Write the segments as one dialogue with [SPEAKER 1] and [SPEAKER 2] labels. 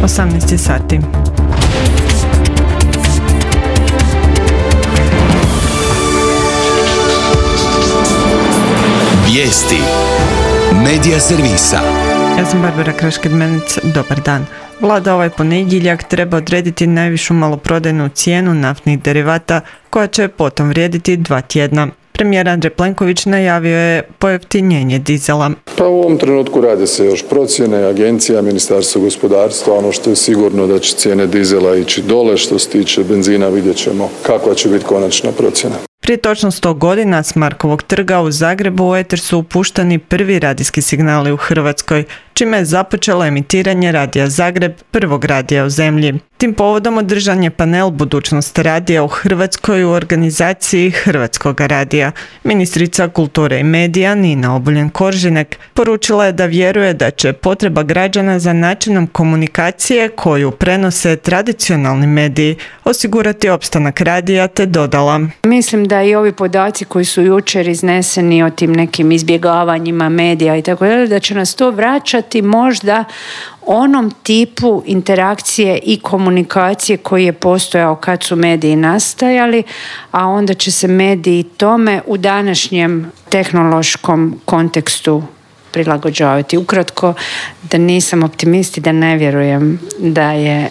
[SPEAKER 1] 18 sati.
[SPEAKER 2] Vijesti Medija servisa.
[SPEAKER 1] Ja sam Barbara Krašked-Menec, dobar dan. Vlada ovaj ponedjeljak treba odrediti najvišu maloprodajnu cijenu naftnih derivata koja će potom vrijediti 2 tjedna. Premijer Andrej Plenković najavio je pojeftinjenje dizela.
[SPEAKER 3] Pa u ovom trenutku rade se još procjene, agencija, Ministarstvo gospodarstva, ono što je sigurno da će cijene dizela ići dole, što se tiče benzina vidjet ćemo kakva će biti konačna procjena.
[SPEAKER 1] Prije točno 100 godina s Markovog trga u Zagrebu u eter su upuštani prvi radijski signali u Hrvatskoj, čime je započelo emitiranje Radija Zagreb, prvog radija u zemlji. Tim povodom održan je panel Budućnost radija u Hrvatskoj u organizaciji Hrvatskog radija. Ministrica kulture i medija Nina Obuljen-Koržinek poručila je da vjeruje da će potreba građana za načinom komunikacije koju prenose tradicionalni mediji osigurati opstanak radija, te dodala:
[SPEAKER 4] Mislim da i ovi podaci koji su jučer izneseni o tim nekim izbjegavanjima medija i tako dalje, da će nas to vraćati možda onom tipu interakcije i komunikacije koji je postojao kad su mediji nastajali, a onda će se mediji tome u današnjem tehnološkom kontekstu prilagođavati. Ukratko, da nisam optimist i da ne vjerujem da je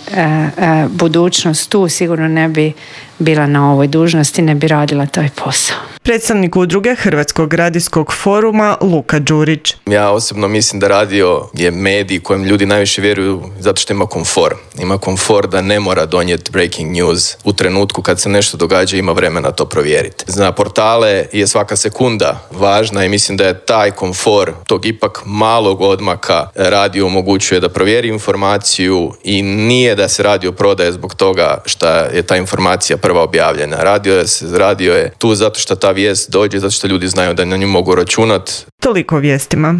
[SPEAKER 4] budućnost tu, sigurno ne bi bila na ovoj dužnosti, ne bi radila taj posao.
[SPEAKER 1] Predstavnik udruge Hrvatskog radijskog foruma Luka Đurić.
[SPEAKER 5] Ja osobno mislim da radio je medij kojem ljudi najviše vjeruju zato što ima komfor. Ima komfor da ne mora donijeti breaking news u trenutku kad se nešto događa, ima vremena to provjeriti. Za portale je svaka sekunda važna i mislim da je taj komfor tog ipak malog odmaka radio omogućuje da provjeri informaciju i nije da se radio prodaje zbog toga što je ta informacija prva objavljena. Radio je tu zato što ta vijest dođe, zato što ljudi znaju da na nju mogu računati.
[SPEAKER 1] Toliko o vijestima.